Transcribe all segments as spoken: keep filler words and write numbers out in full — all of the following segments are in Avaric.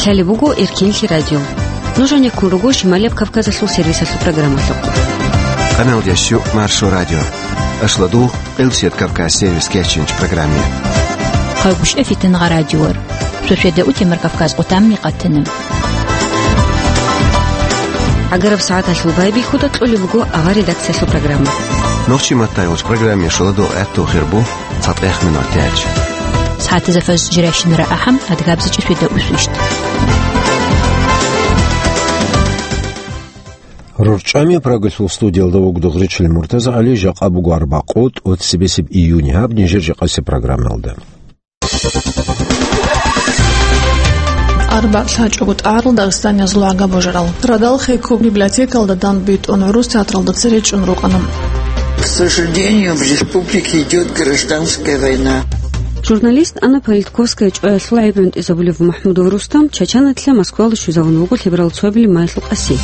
Лъалеб буго Эркенлъи радио. Нуж гьанеккун руго Шималияб Кавказалъул сервисалъул программалъухъ. Къаналдящу Маршо радио. Ашладул Къилчият Кавказ сервис кечинч программе. Хъагушев Фитингъа радиор. Суседа утемар Кавказ къутамми къатана. Агараб сагӀаталъул байбихьуда кьолеб буго авар редакциялъул программа. Нохчи маттай уч программе шоладо этту хирбу. ЦатӀех минут тяч. Сагьатизафаз жиращинара ахӀам, адгабзичӀи светда усвищт. РорчӀами Прагалъул студиялда вугдугъричил МуртазагӀали, жакъа буго арбакъот, оццебесеб июнь, гьаб нижер жакъасеб программалда. Арбакь лъачӀого тӀагӀарал дагъистаниязул гӀага божарал. Радал хеккоб библиотекалда данбитӀун гӀурус театралда цере чӀун рукӀана. К сожалению, в республике идёт гражданская война. Журналист Анна Политковская чӀваялъул гӀайиб гӀунтӀизабулев Махмудов Рустам Чачаналъа Москвалда щвезавун вуго лъеберал цоабилеб маялъул къаси.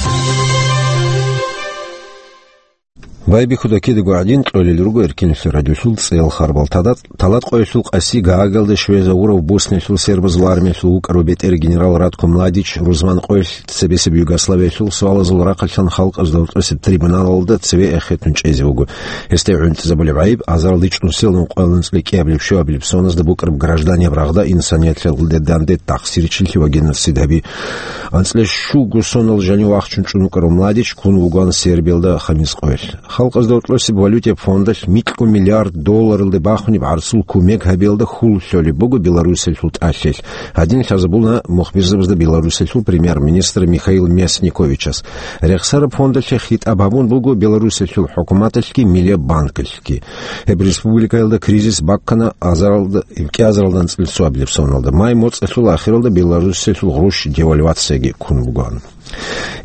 Байбихьуда кидаго гӀадин, кьолел руго Эркенлъи радиолъул цӀеял харбал. Тадат-, Талат къоялъул къаси Гаагалда щвезавурав Боснилъул сербазул армиялъул вукӀарав бетӀер генерал Ратко Младич, рузман къоялъ цебесеб Югославиялъул суалазул рахъалъан халкъазда гьоркьосеб трибуналалда цеве эхетун чӀезе вуго. Гьесде гӀунтӀизабулеб гӀайиб азарал дичӀунсел ункъоялда анцӀила кӀиабилеб-щуабилеб соназда букӀараб гражданияб рагъда инсанияталде данде тахсирчилъи ва геноцид гьаби. АнцӀила щуго сонал жанив вахчун чӀун вукӀарав Младич ккун вугоан Сербиялда хамис къоялъ. Халкъазда гьоркьосеб валютияб фондалъ микьго миллиард долларалде бахунеб гӀарсул кумек гьабиялда хьул лъолеб буго Беларусиялъул тӀалъилъ. Гьадин лъазабуна мухбирзабазда Беларусиялъул премьер-министр Михаил Мясниковичас. Рехсараб фондалъе хитӀаб гьабун буго Беларусиялъул хӀукуматалъги Миллияб банкалъги. Гьеб республикаялда кризис баккана азаралда, кӀиазаралда анцӀила цоабилеб соналда. Май моцӀалъул ахиралда Беларусиялъул гъущ девальвацияги ккун бугоан.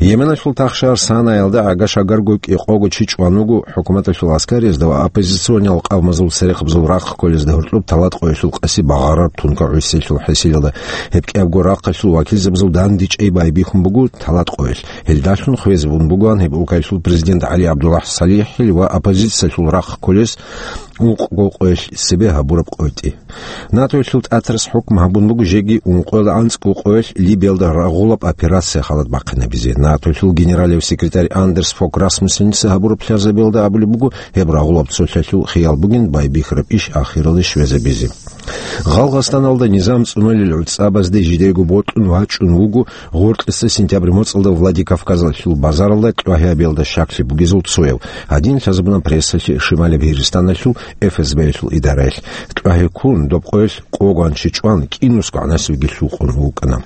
Йеменалъул тахшагьар Санаялда гӀага-шагарго кӀикъого чи чӀван вуго хӀукуматалъул гӀаскариязда ва оппозициониял къавмазул церехъабазул рахъ кколезда гьоркьоб Талат къоялъул къаси багъараб тункагӀусиялъул хӀисиялда. Гьеб кӀиябго рахъалъул вакилзабазул дандечӀей байбихьун буго Талат къоялъ. Гьелдалъун хвезабун бугоан гьеб улкаялъул президент ГӀали ГӀабдуллахӀ СалихӀил ва оппозициялъул рахъ кколез ункъго къоялъ цебе гьабураб къотӀи. НАТОялъул тӀатарас хӀукму гьабун буго жеги ункъоялда анцӀго къоялъ Либиялда рагъулаб операция халат бахъинабизе. НАТОялъул генералияв секретарь Андерс Фок Расмуссеница гьабураб лъазабиялда абулеб буго, гьеб рагъулаб цолъалъул хиял бугин байбихьараб иш ахиралде щвезабизе. Гъалгъастаналда низам цӀунулел гӀуцӀабазде жидего бокьун вачӀун вуго гъоркьиса сентябрь моцӀалда Владикавказалъул базаралда кьвагьабиялда щаклъи бугезул цояв. Гьадин лъазабуна прессалъе Шималаб Гьиристаналъул ФСБ-ялъул идараялъ. Кьвагьи ккун, доб къоялъ къоган чи чӀван, кӀинусго гӀанасевги лъукъун вукӀана.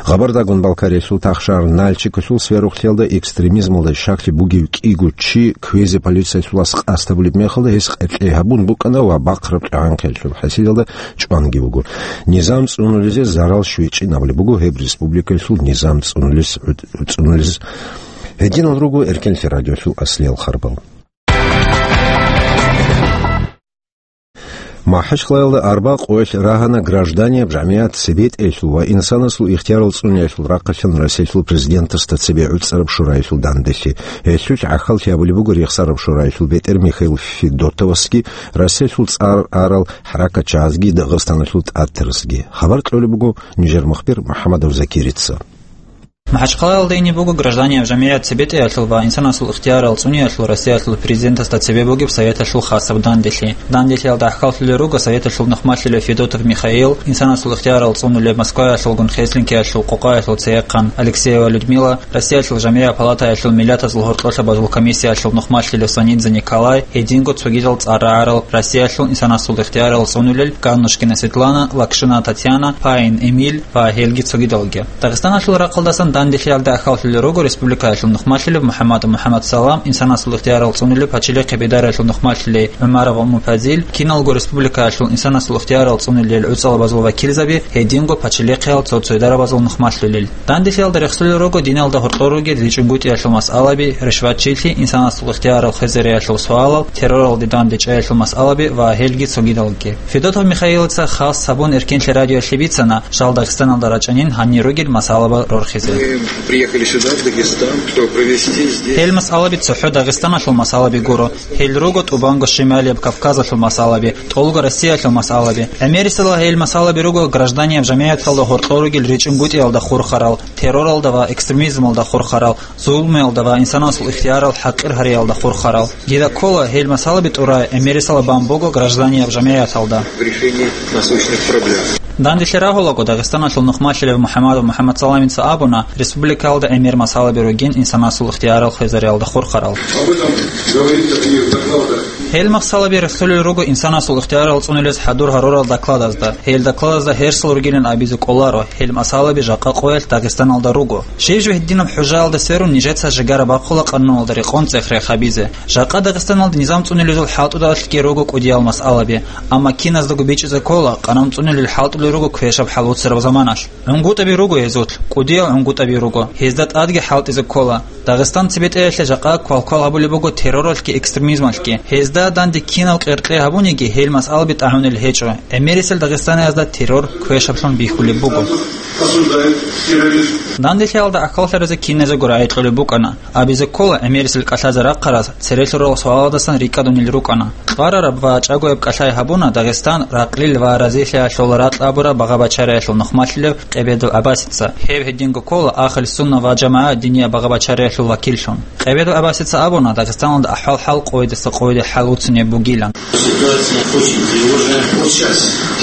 Гъабардагун Балкариялъул тахшагьар Нальчикалъул сверухълъиялда экстремизмалда щаклъи бугев кӀиго чи кквезе полициялъулас къасд гьабулеб мехалда гьес къеркьей гьабун букӀана ва бахъараб тӀагӀанхъиялъул хӀасилалда чӀванги вуго. Низам цӀунулезе зарал щвечӀин абулеб буго гьеб республикаялъул низам цӀунулес, цӀунулес. Гьединал руго Эркенлъи радиолъул аслиял харбал. МахӀачхъалаялда арбакъ къоялъ рагьана гражданияб жамгӀият цебетӀеялъул ва инсанасул ихтиярал цӀуниялъул рахъалъан Россиялъул президентасда цебе гӀуцӀараб шураялъул данделъи. Гьелъулъ гӀахьаллъи гьабулеб буго Рехсараб шураялъул бетӀер Михаил Федотовасги, Россиялъул цӀар арал хӀаракатчагӀазги Дагъистаналъул тӀатарасги. Хабар кьолеб буго нижер мухбир МухӀамадов Закирица. МахӀачхъалаялда ине буго гражданияб жамгӀият цебетӀеялъул ва инсанасул ихтиярал цӀуниялъул Россиялъул президентасда цебе бугеб Советалъул хасаб данделъи. Данделъиялда гӀахьаллъулел руго Советалъул нухмалъулев Федотов Михаил, инсанасул ихтиярал цӀунулеб Москваялъулгун Хельсинкиялъул къокъаялъул цеяхъан Алексеева Людмила, Россиялъул жамгӀияб палатаялъул миллатазул гьоркьолъабазул комиссиялъул нухмалъулев Сванидзе Николай, гьединго цогидал цӀар рагӀарал Россиялъул инсанасул ихтиярал цӀунулел Ганнушкина Светлана, Лакшина Татьяна, Паин Эмиль, ва гьелги цогидалги. Дагъистаналъул рахъалдасан данделъиялда гӀахьаллъулел руго республикаялъул нухмалъулев МухӀаммад МухӀаммадсалам, инсанасул ихтиярал цӀунулев пачалихъияб идараялъул нухмалъулей ГӀумаров Умупазил, киналго республикаялъул инсанасул ихтиярал цӀунулел гӀуцӀалабазул вакилзаби, гьединго пачалихъиял цо-цойдарабазул нухмалъулел. Данделъиялда рехсулел руго диналда гьоркьор ругел ричӀунгутӀиялъул масъалаби, ришватчилъи, инсанасул ихтиярал хвезариялъул суалал, терроралде дандечӀеялъул масъалаби ва гьелги цогидалги. Федотов Михаилица хас гьабун Эркенлъи радиоялъе бицана, жал Дагъистаналда рачӀанин гьанир ругел масъалаба рорхизе. Приехали сюда, в Дагестан, чтобы провести здесь. Гьел масъалаби цохӀо Дагъистаналъул масъалаби гуро. Гьел руго тӀубанго Шималияб Кавказалъул масъалаби, тӀолго Россиялъул масъалаби. ГӀемерисела гьел масъалаби руго гражданияб жамигӀаталда гьоркьор ругел ричӀунгутӀиялда хурхарал, терроралда ва экстремизмалда хурхарал, зулмуялда ва инсанасул ихтиярал хӀакъир гьариялда хурхарал. Дида ккола, гьел масъалаби тӀурай гӀемерисела бан буго гражданияб жамигӀаталда. В решении насущных проблем. Данделъи рагьулаго, Дагъистаналъул нухмалъилев МухӀамадов МухӀамадсаламица абуна, республикаялда гӀемер масъалаби ругин инсанасул ихтиярал хвезариялда хурхарал. Об этом говорится и в докладах. Гьел масъалаби рехсулел руго инсанасул ихтиярал цӀунулез хӀадур гьарурал докладазда. Гьел докладазда гьерсал ругилан абизе кӀоларо, гьел масъалаби жакъа къоялъ Дагъистаналда руго. Щиб жо гьединаб хӀужаялда сверун нижеца жигара бахъула къануналда рекъон цӀех рехабизе. Жакъа Дагъистаналда низам цӀунулезул хӀалтӀудалъги руго кӀудиял масъалаби, амма киназдаго бичӀчӀизе ккола, къанун цӀунулел хӀалтӀулел руго квешаб хӀалбуцараб заманалъ. ГӀунгутӀаби руго гьезулъ, кӀудиял гӀунгутӀаби руго, гьезда тӀадги хӀалтӀизе ккола. Дагъистан цебетӀеялъе жакъа квалквал гьабулеб буго терроралъги экстремизмалъги. Гьезда данде кинал къеркье гьабуниги, гьел масъалаби тӀагӀунел гьечӀо. ГӀемерисел дагъистаниязда террор квешаблъун бихьулеб буго. Данделъиялда ахӀваллъаразе киназего рагӀи кьолеб букӀана. Абизе ккола, гӀемерисел кӀалъазе рахъарас церелъурал суалалдасан рикӀкӀадунел рукӀана. Кьварараб ва чӀагояб кӀалъай гьабуна Дагъистан ракълил ва разилъиялъул ракь абураб багъа-бачариялъул нухмалъилев Къебедов ГӀабасица. Гьев гьединго ккола Ахлу-Сунна ва ЖамагӀа динияб багъа-бачариялъул вакиллъун. Къебедов ГӀабасица абуна, Дагъистаналда ахӀвал-хӀал къойидаса къойиде хӀалуцунеб бугилан. Ситуация очень тревожная. Вот сейчас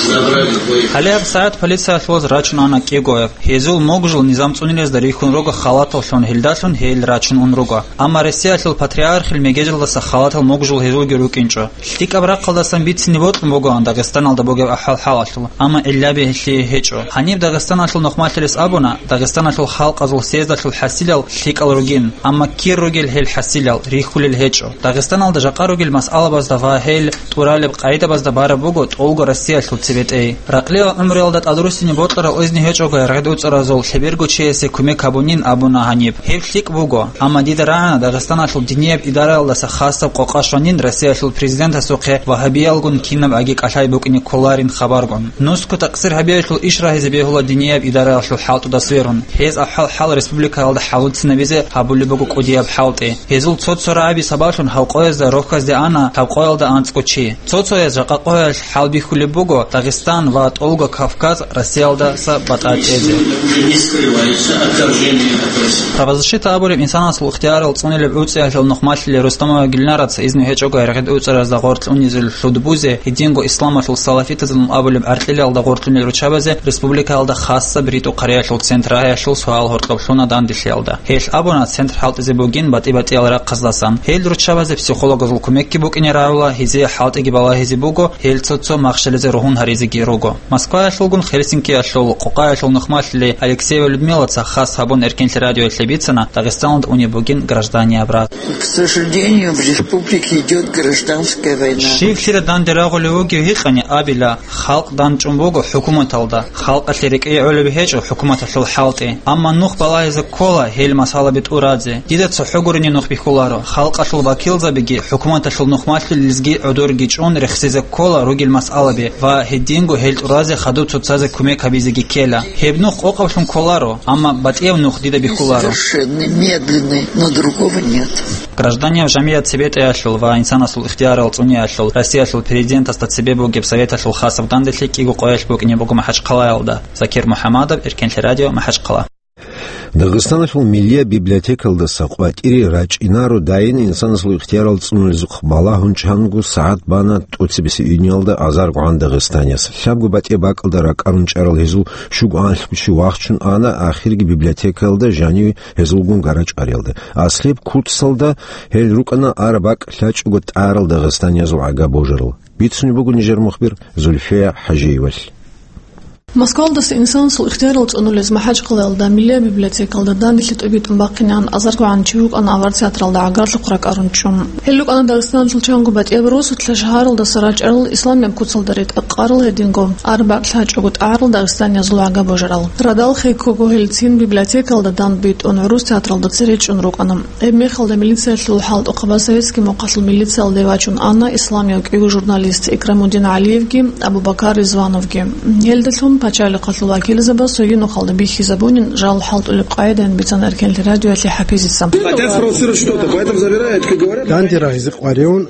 забрали двоих. Гьале гьаб сагӀат полициялъулаз рачун ана кӀигояб. Гьезул могжул низам цӀунилезда рихьун руго халаталлъун, гьелдалъун гьел рачун ун руго. Амма Россиялъул патриархил мегежалдаса халатал могжул гьезулги рукӀинчӀо. ЛъикӀаб рахъалдасан бицине бокьун бугоан Дагъистаналда бугеб ахӀвал-хӀалалъул, амма гӀиллаби гьелъие гьечӀо. Гьаниб Дагъистаналъул нухмалъилес абуна, Дагъистаналъул халкъазул съездалъул хӀасилал лъикӀал ругин, амма кир ругел гьел хӀасилал, рихьулел гьечӀо. Дагъистаналда жакъа ругел масъалабазда ва гьел тӀуралеб къагӀидабазда бараб буго тӀолго Россиялъул цебетӀей. Ракълилал гӀумруялда тӀадруссине бокьарал изну гьечӀого рагӀид уцӀаразул лъеберго чиясе кумек гьабунин абуна гьаниб. Гьеб лъикӀ буго, амма дида рагӀана Дагъистаналъул динияб идараялдаса хасаб къокъа щванин Россиялъул президентасухъе вагьабиялгун кинаб аги кӀалъай букӀине кколарин хабаргун. Нусго такъсир гьабиялъул иш рагьизе бегьула динияб идараялъул хӀалтӀудас верун. Гьез ахӀвал-хӀал республикаялда хӀалуцинабизе гьабулеб буго кӀудияб хӀалтӀи. Гьезул цо-цо рагӀаби сабаблъун гьал къоязда рохьазде ана гьаб къоялда анцӀго чи. Цо-цояз жакъа къоялъ хӀал бихьулеб буго Дагъистан ва тӀолго Кавказ Россиялдаса батӀа тӀезе. Уже не скрывается отторжение от России. Правозащита абураб инсанасул ихтиярал цӀунилеб гӀуцӀиялъул нухмалъиле Рустамова Гюльнараца изну гьечӀого рагӀид уцӀаразда гъорлъ унизул лъудбузе, гьединго исламалъул салафитазул абулеб гӀаркьилалда гъорлъунел руччабазе республикаялда хасаб ритӀухъариялъул централъул суал гьоркьоб лъуна данделъиялда. Гьелъ абуна, центр хӀалтӀизе бугин батӀи-батӀиял рахъаздасан. Гьел руччабазе психологазул кумекги букӀине рагӀула, гьезие хӀалтӀиги балагьизе буго, гьел цо-цо махщелизе ругьун гьаризеги руго. Москваялъулгун Хельсинкиялъул, Къокъаялъул нухмалъили Алексеева Людмилаца хас гьабун Эркенлъи радиоялъе бицана Дагъистаналда унеб бугин гражданияб ракь. К сожалению, в республике идёт гражданская война. Щивлъира данде рагъулев вугев гьикъани абила, халкъ дандчӀун буго хӀукуматалда, халкъалъе рекӀее гӀолеб гьечӀо хӀукуматалъул хӀалтӀи. Амма нух балагьизе ккола гьел масъалаби тӀуразе. Дида цохӀо гурони нух бихьуларо, халкъалъул вакилзабиги хӀукуматалъул нухмалъулелезги гӀодорги чӀун рехсизе ккола ругел масъалаби ва гьединго гьел тӀуразе хадуб цоцазе кумек гьабизеги ккела. Гьеб нух къокъаблъун кколаро, амма батӀияб нух дида бихьуларо. Совершенно медленный, но другого нет. Гражданияб жамият цебетӀеялъул ва инсанасул ихтиярал цӀуниялъул Россиялъул президентасда цебе бугеб советалъул хасаб данделъи кӀиго къоялъ букӀине буго МахӀачхъалаялда. Закир МухӀамадов, Эркенлъи радио, МахӀачхъала. Дагъистаналъул миллияб библиотекалдаса къватӀире рачӀинаро дайин инсанасул ихтиярал цӀунулезухъ балагьун чанго сагӀат бана тӀоцебесеб июньалда азарго гӀан Дагъистанияс. Лъабго батӀияб бакӀалда ракӀарун чӀарал гьезул щуго анлъго чи вахчун ана, ахирги библиотекаялда жаниве гьезулгун гара чӀвариялда. Аслияб курсалда гьел рукӀана ара бакӀ лъачӀого тӀарал дагъистаниязул гӀага божарал. Бицунеб буго нижер мухбир Зульфия ХӀажиевалъ. Москвалдаса инсанасул ихтиярал цӀунулез МахӀачхъалаялда миллияб библиотекалда данделъи тӀубитӀун бахъине ан азарго гӀан чи вукӀана авар театралда гӀагарлъухъ ракӀарун чӀун. Гьел рукӀана Дагъистаналъул чанго батӀияб росулъа шагьаралдаса рачӀарал исламияб куцалда ретӀа-къарал гьединго ара бакӀ лъачӀого тӀарал дагъистаниязул гӀага божарал. Радал хеккого гьелцин библиотекалда дандбитӀун гӀурус театралда цере чӀун рукӀана. Гьеб мехалда милициялъул хӀалтӀухъаба советский мухъалъул милициялде вачун ана исламияв кӀиго журналист Икрамуддин ГӀалиевги Абубакар Ризвановги. Гьелдалъун Начальникалъул вакилзабаз цоги нухалда бихьизабунин жал хӀалтӀулеб къайдаялъ бицана Эркенлъи радиоялъе ХӀапизица. Хотят спровоцировать что-то, поэтому забирают, как говорят. Данде рагьизе къваригӀун,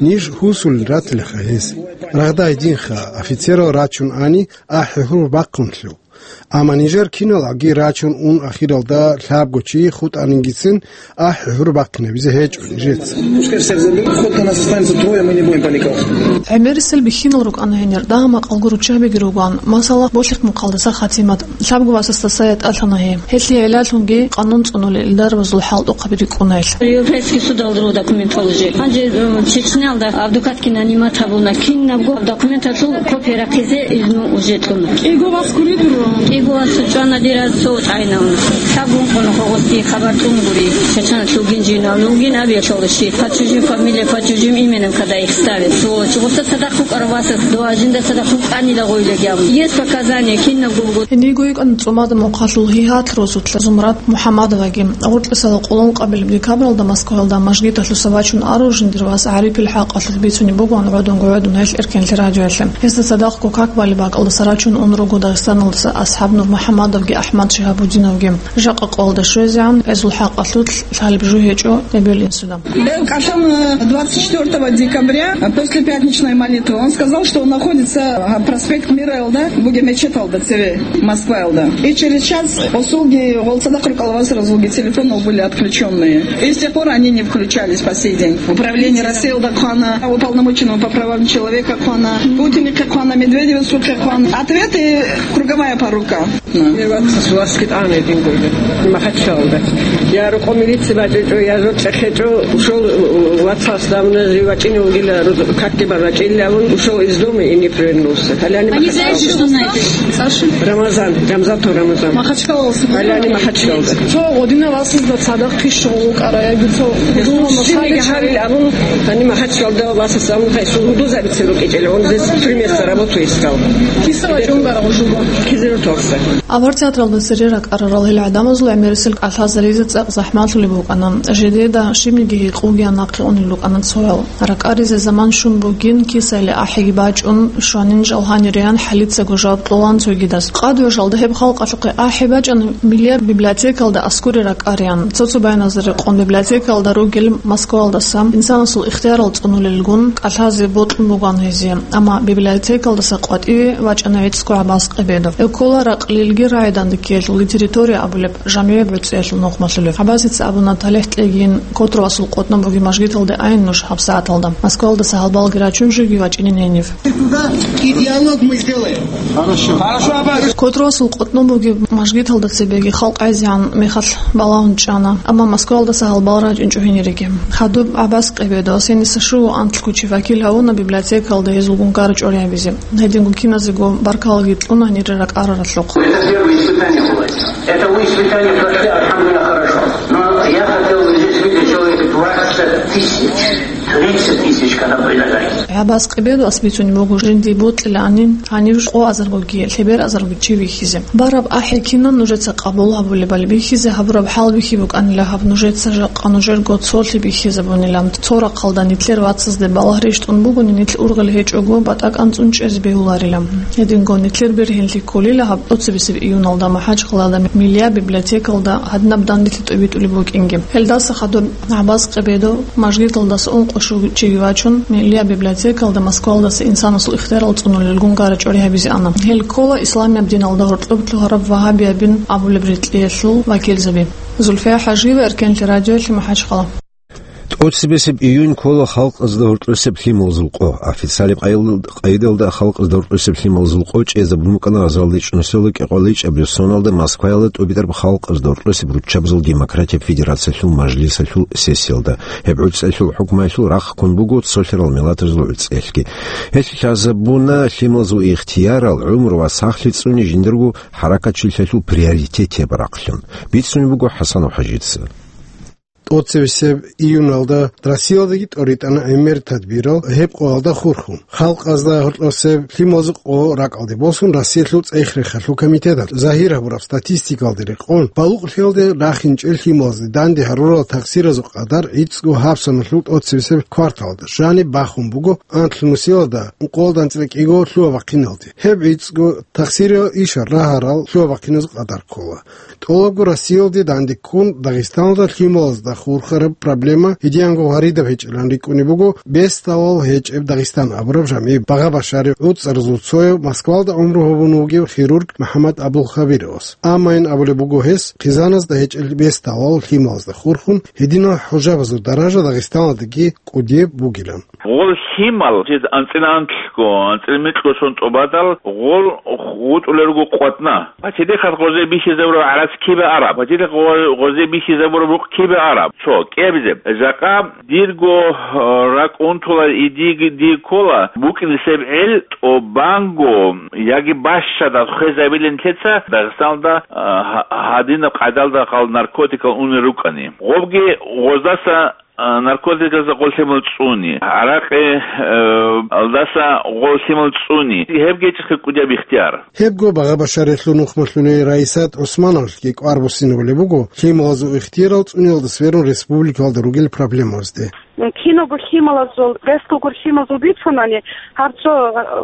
ниж гьусулин ратилаха гьез. Рагъдай динха, офицерал рачун ани, ахӀи гьур бахъунлъу. Амма нижер киналги рачун ун ахиралда лъабго чи хутӀанингицин, ахӀи гьур бахъинабизе гьечӀо нижеца. Пускай всех заберут, хоть на нас останется трое, мы не будем паниковать. ГӀемерисел бихьинал рукӀана гьенир, дагьа-макъалго руччабиги ругоан, масала, Болъихъ-Мухъалдаса Хатимат. Лъабго васасда сая тӀалъана гьей. Гьелъие гӀиллалъунги къанун цӀунулел илдарабазул хӀалтӀухъаби рикӀкӀуна гьел. Европейский судалда руго документал уже. Гьанже, э, Чечнялда Абдукаткина Нимат гьабуна. Кинабго документалъул копия рахъизе изну уже кьуна. КӀиго вас кури дур? КӀиго вас чӀвана дир аз цо тӀайнавна. Лъаб ункъуна гъогъосги хабар тун гури. Чачаналъулгин жинавлугин абиялъулищи. По чужим фамилия, по чужим именам, когда их ставят. Цо чугъуса цадахъ вукӀарав васас дова жинда цадахъ вукӀанила гъойлаги абун. Есть показания, кинабго буго. Гьенибго йикӀана ЦӀумада Мухъалъул Гьигьат росулъа Зумрат МухӀаммадоваги. Гъуркьисал къоло ункъабилеб декабралда Москваялда мажгиталъуса вачун арурав жиндир вас ГӀарипил хӀакъалъулъ бицунеб бугоан гӀодон-гӀодон гьелъ Эркенлъи радиоялъе. Гьезда цадахъго как балеб бакӀалдаса рачун ун руго Дагъистаналдаса АсхӀаб Нурмухьаммадовги АхӀмад Шигьабуддиновги. Жакъа къоялда щвезегӀан гьезул хӀакъалъулъ лъалеб жо гьечӀо эбел-инсуда. Э, кӀалъан, э, двадцать четвёртого декабря, э, после пятничной молитвы, он сказал, что он находится, э, проспект Мира, да, бугеб мечеталда, цеве Москваялда. И через час гъосулги, гъол цадахъ рукӀарал васасулги телефоны были отключённые. И с тех пор они не включались по сей день. Управление Россиялда хъвана, уполномоченного по правам человека хъвана, Путинихъе хъвана, Медведевасухъе хъвана. Ответы круговая порука. Первый раз васги тӀана гьедин гойла. Махачкалда. Я рукъо милиция бачӀичӀо, я жо чӀехечӀо, ушел, э, вацас давно жив вачӀине вугила, руз-, как-то бар вачӀилавун, ушел из дома и не вернулся. Гьалани Они Махачкалда. Знаете, что знаете? Саша? Рамазан, Рамзатов Рамазан. Махачкалалса. Гьалани Махачкалда. Цо гъодина васасда цадахъ пищ гъукӀара, яги цо гъодина Шинги машгьаличӀ гьарил абун, гьани Махачкалда васас абун, хай сугьудузабица рукӀичӀел, он здесь три месяца работу искал. Киса вачӀун гара гъужуба? Кизилюртовса. Авар театралда цере ракӀарарал гьел гӀадамазул гӀемерисел кӀалъазаризе цӀакъ захӀмалъулеб букӀана. Жидеда щибниги гьикъугеян нахъе унел рукӀана цоял. РакӀаризе заман щун бугин, кисайилан ахӀиги бачӀун, щванин жал гьанираян хӀалицаго жаваб кьолаан цогидас. Къад ва жалда гьеб халкъалъухъе ахӀи бачӀана Миллияб библиотекалда аскуре ракӀариян. Цо-цо байназда рекъон библиотекалда ругел Москваялдаса инсанасул ихтиярал цӀунулелгун кӀалъазе бокьун бугоан гьезие. Амма библиотекалдаса къватӀиве вачӀана гӀицӀго ГӀаббас Къебедов. Гьев ккола Ракълилги рагӀиданлъи ккеялъул Литератория абулеб жамигӀи гӀуцӀиялъул нух малъулев. ГӀаббасица абуна, талихӀ кьегин, Котровасул къотӀноб бугеб мажгиталде айин нуж гьабсагӀаталда. Москваялдаса гьалбалги рачун, живги вачӀинин гьенив. Туда и диалог мы сделаем. Хорошо. Хорошо, Аббас. Котровасул къотӀноб бугеб мажгиталда цебеги халкъ гӀезегӀан мехалъ балагьун чӀана, амма Москваялдаса гьалбал рачӀинчӀо гьениреги. Хадуб ГӀаббас Къебедовас гьениса щуго анкьго чи вакил гьавуна библиотекалда гьезулгун гара чӀвари гьабизе. Гьединго киназего баркалаги кьуна гьенире ракӀараралъухъ. Это первое испытание было. Это вы испытание прошли, альхамдулилля, хорошо. Но я хотел бы здесь выделить человек двадцать тысяч, тридцать тысяч, когда предлагали. ГӀаббас Къебедовас бицунеб буго, жиндие бокьилаанин гьанив къо азаргоги, лъебер азарго чи вихьизе. Бараб ахӀи кинан нужеца къабул гьабулебали бихьизе гьабураб хӀалбихьи букӀанила гьаб, нужеца жакъа нужерго цолъи бихьизабунила. Цо рахъалда нилъер вацазде балагь рещтӀун бугони, нилъ ургъел гьечӀого, батӀа кӀанцӀун чӀезе бегьуларила. Гьединго нилъер бергьенлъи кколила гьаб тӀоцебесеб июналда МахӀачхъалад Миллияб библиотекалда гьадинаб данделъи тӀобитӀулеб букӀинги. Гьелдаса хадуб ГӀаббас Къебедов мажгиталдаса ункъо щуго чиги вачун, Миллияб библиотекалда Москваялдаса инсанасул ихтиярал цӀунулелгун гара чӀвари гьабизе ана. Гьел ккола исламияб диналда гьоркьоб лъугьараб вагьабиябин абулеб рекьиялъул вакилзаби. Зульфия ХӀажиева, Эркенлъи радиоялъе, МахӀачхъала. ТӀоцебесеб июнь ккола халкъазда гьоркьосеб лъималазул къо. Официалаб къайил-, къайдалда халкъазда гьоркьосеб лъималазул къо чӀезабун букӀана гъазалда ичӀнусиялда кӀикъоялда ичӀаб соналда Москваялда тӀубитӀараб халкъазда гьоркьосеб руччабазул демократияб федерациялъул мажлисалъул сессиялда. Гьеб гӀуцӀиялъул хӀукмуялъул рахъ ккун буго цолъарал миллатазул гӀуцӀиялъги. Гьелъ лъазабуна лъималазул ихтиярал, гӀумру ва сахлъи цӀуни жиндарго хӀаракатчилъиялъул приоритетияб рахълъун. Бицунеб буго ХӀасанов ХӀажица. ТӀоцебесеб июналда Россиялдаги тӀоритӀана гӀемер тадбирал гьеб къоялда хурхун. Халкъазда гьоркьосеб лъималазул къо ракӀалде босун Россиялъул цӀех-рехалъул комитеталъ загьир гьабураб статистикалде рекъон, балугълъиялде рахинчӀел лъималазде данде гьарурал такъсиразул къадар гӀицӀго гьабсаналъул тӀоцебесеб кварталда жаниб бахун буго анкьнусиялда ункъоялда анцӀила кӀиго лъугьа-бахъиналде. Гьеб гӀицӀго такъсирал ишал рагьарал лъугьа-бахъиназул къадар ккола. ТӀолабго Россиялде данде ккун Дагъистаналда лъималазда хурхараб проблема гьединго гьаридаб гьечӀилан рикӀкӀунеб буго Бесдалал гьечӀеб Дагъистан абураб жамигӀ багъа башараб гӀуцӀаразул цояв Москвалда гӀумру гьабун вугев хирург МухӀаммад Абдулхабировас. Амма ин абулеб буго гьес, хъизаназда гьечӀел Бесдалал лъималазда хурхун гьединал хӀужабазул даража Дагъистаналдаги кӀудияб бугилан. Гъол лъимал, жез анцӀила анлъго, анцӀила микьго сон тӀубадал, гъол гъутӀулел руго къватӀна. Пачедихъад гъозе бихьизабураб гӀарац кибе араб? Пачедихъ гъо-, гъозе бихьизабураб рукъ кибе араб? Цо, кӀиабизе. Жакъа дирго, э, ракӀ унтула, идиги дир ккола, букӀинисеб гӀел тӀубанго яги бащадал хвезабилин лъеца Дагъистаналда, э, гьа-, гьадинаб къайдалда гъал наркотикал унел рукӀани. Гъобги гъоздаса а, наркотикалда гъол лъимал цӀуни, гӀаракъи, э, алдаса гъол лъимал цӀуни. Гьеб гьечӀеб кӀудияб ихтияр. Гьебго багъа башаралъул нухмалъулей Раисат ГӀусмановалъги кӀвар буссинабулеб буго, лъималазул ихтиярал цӀуниялда сверун республикалда ругел проблемазде. Киного лъималазул, бесдалго лъималазул бицунани, гьаб цо,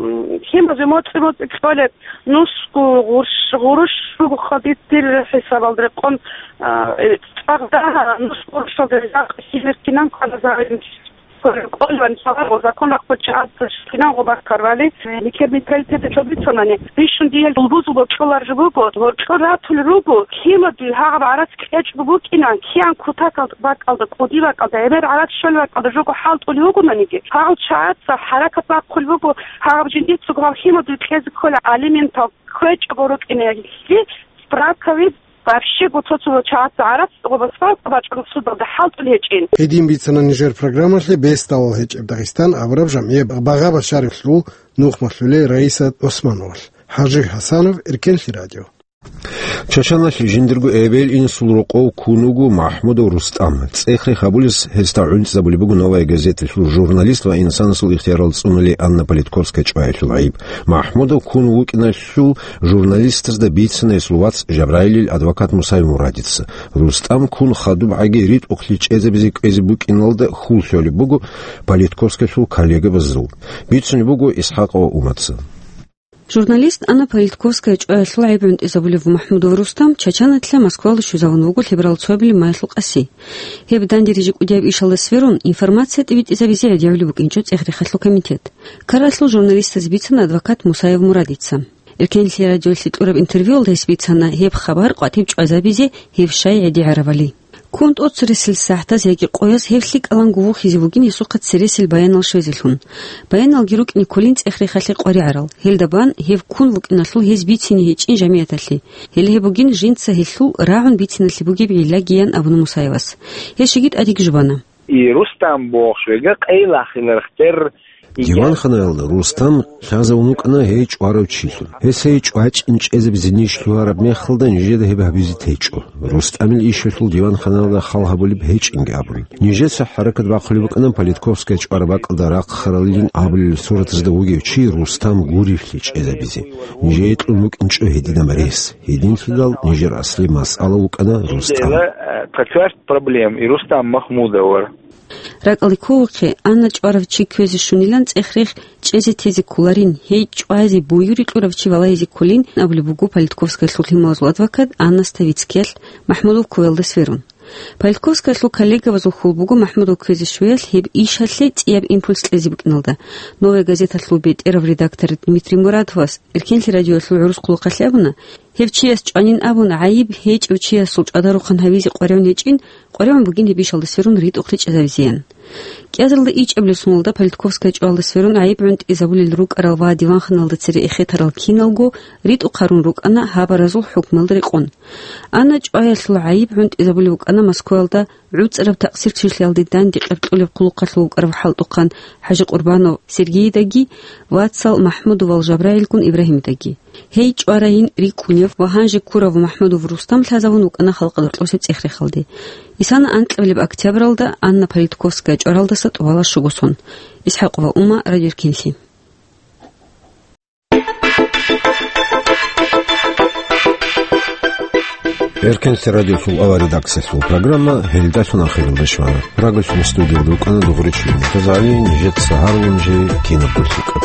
м, лъимазе моцӀи-моцӀи кьолеб, нусго гъурш-, гъурущ руго хадид дир хӀисабалда рекъон, а, э, цӀакъ дагьа нусго гъурущалда ризакъ лъимер кинан ккана загьирин кколеб, кколебани лъала закон рахъун чагӀаз кинан гъоб баккарвали, э, никер менталитеталъул бицунани. Бищун дие гьел гьубузул борчӀулар жо буго, борчӀул ратулел руго, лъимаде гьагъаб гӀарац кьечӀго букӀинан, киян кутакал бакӀалда, кӀуди бакӀалда, гӀемер гӀарац щолеб бакӀалда жого хӀалтӀулев вугонаниги, гьагъав чагӀаца хӀаракат бахъулеб буго, гьагъаб жиндир цугал лъимадуй кьезе ккола алиментал кквечӀого рукӀинеги, справкаби, вообще-го цо-цо чагӀаца гӀарац гъоба справка бачӀун судалда хӀалтӀулел гьечӀин. Гьедин бицана нижер программалъе Бесдалал гьечӀеб Дагъистан абураб жамгӀияб багъа башаралъул нухмалъулей Раисат ГӀусмановалъ. ХӀажи ХӀасанов, Эркенлъи радио. Чачаналъ жиндирго эбел-инсул рокъов ккун вуго МахӀмудов Рустам. ЦӀех-рех гьабулес гьесда гӀунтӀизабулеб буго «Новая газеталъул» журналист ва инсанасул ихтиярал цӀунулей Анна Политковская чӀваялъул гӀайиб. МахӀмудов ккун вукӀиналъул журналистазда бицана гьесул вац Жабраилил адвокат Мусаев Мурадица. Рустам ккун хадубгӀаги ритӀухълъи чӀезабизе кӀвезе букӀиналда хьул лъолеб буго Политковскаялъул коллегабазул. Бицунеб буго ИсхӀакъова Умаца. Журналист Анна Политковская чӀваялъул гӀайиб гӀунтӀизабулев МахӀмудов Рустам Чачаналъа Москвалда щвезавун вуго лъеберал цоабилеб майилъул къаси. Гьеб данде рижи кӀудияб ишалда сверун, информация тӀибитӀизабизе гӀедегӀулеб букӀинчӀо цӀех-рехалъул комитет. Каралъул журналистазе бицана адвокат Мусаев Мурадица. Эркенлъи радиолъе кьураб интервьюялда гьес бицана гьеб хабар къватӀиб чӀвазабизе гьеб щай гӀедегӀаравали. Ккун тӀоцересел сахӀатаз яги къояз гьев лъикӀаланго вухизе вугин гьесухъа цересел баянал щвезелъун. Баяналги рукӀине кколин цӀех-рехалъе къваригӀарал, гьелда бан гьев ккун вукӀиналъул гьез бицине гьечӀин жамигӀаталъе. Гьеле гьеб бугин жинца гьелъул рагӀун бициналъе бугеб гӀиллагиян абуна Мусаевас. Гьес жеги тӀадеги жубана. И Рустам бохъ швега къейлахиларх тер Диванханаялда Рустам лъазавун вукӀана гьей чӀварав чилъун. Гьес гьей чӀвачӀин чӀезабизе ниж лъугьараб мехалда нижеда гьеб гьабизе течӀо. Рустамил ишалъул диванханаялда хал гьабулеб гьечӀинги абун. Нижеца хӀаракат бахъулеб букӀана Политковская чӀвараб бакӀалда рахъ харалилин абулел суратазда вугев чи Рустам гуревлъи чӀезабизе. Нижее кьун букӀинчӀо гьединаб рес. Гьединлъидал нижер аслияб масъала вукӀана Рустам. Э, цо кверт проблем и Рустам Махмудовар. РакӀалде кколухъе, Анна чӀварав чи кквезе щунилан цӀех-рех чӀезе тезе кколарин, гьей чӀвазе буюри кьурав чи валагьизе кколин абулеб буго Политковскаялъул лъималазул адвокат Анна Ставицкиялъ МахӀмудов кквеялда сверун. Политковскаялъул коллегавазул хьул буго МахӀмудов кквезе щвеялъ гьеб ишалъе цӀияб импульс кьезе букӀиналда. «Новая газеталъул» бетӀерав редактор Дмитрий Мурадовас Эркенлъи радиоялъул гӀурус хъулухъалъе абуна, гьев чияс чӀванин абун, гӀайиб гьечӀев чиясул чӀвадарухъан гьавизе къваригӀун гьечӀин, къваригӀун бугин гьеб ишалда сверун ритӀухълъи чӀезабизеян. КӀиазаралда ичӀабилеб соналда Политковская чӀваялда сверун гӀайиб гӀунтӀизабулел рукӀарал ва диванханалда цере эхетарал киналго ритӀухъ гьарун рукӀана гьабаразул хӀукмуялда рекъон. Анна чӀваялъул гӀайиб гӀунтӀизабулеб букӀана Москваялда гӀуцӀараб такъсир чилъиялде дандекъеб кьолеб хъулухъалъув вукӀарав хӀалтӀухъан ХӀажи Къурбанов Сергейидаги вацал МахӀмудовал Жабраилгун Ибрагьимидаги. Гьей чӀварайин рикӀкӀунев ва гьанже Куров МахӀмудов Рустам лъазабун вукӀана Халкъалда Рокьосеб ЦӀех-Рехалде. Исана анкьабилеб октябралда Анна Политковская чӀваралдаса тӀубала щуго сон. ИсхӀакъова Ума, Радио Эркенлъи. Эркенлъи радиосул авар редакциялъул программа гьелдалъун ахиралде щвана. Прагасул студиялда рукӀана Дугъричилан МуртазагӀали, нижеца гьарулеб жо кинабго лъикӀаб.